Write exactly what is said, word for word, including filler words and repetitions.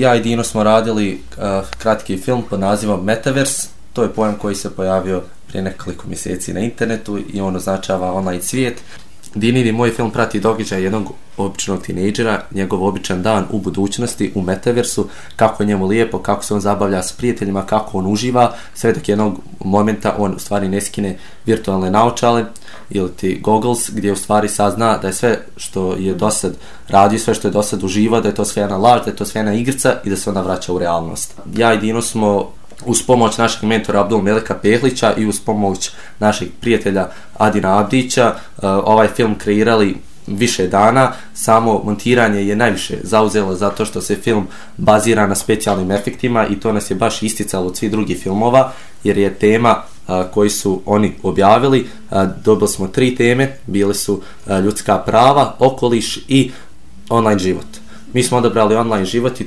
Ja i Dino smo radili uh, kratki film pod nazivom Metaverse. To je pojam koji se pojavio prije nekoliko mjeseci na internetu i on označava online svijet. Dinin i moj film prati događaj jednog običnog tinejdžera, njegov običan dan u budućnosti, u Metaversu, kako je njemu lijepo, kako se on zabavlja s prijateljima, kako on uživa, sve dok jednog momenta on u stvari ne skine virtualne naočale ili ti goggles, gdje u stvari sazna da je sve što je dosad radio, sve što je dosad uživao, da je to sve jedna laž, da je to sve jedna igrica i da se onda vraća u realnost. Ja i Dino smo uz pomoć našeg mentora Abdul Melika Pehlića i uz pomoć našeg prijatelja Adina Abdića ovaj film kreirali više dana. Samo montiranje je najviše zauzelo zato što se film bazira na specijalnim efektima i to nas je baš isticalo od svih drugih filmova, jer je tema koji su oni objavili, dobili smo tri teme, bile su ljudska prava, okoliš i online život. Mi smo odabrali online život i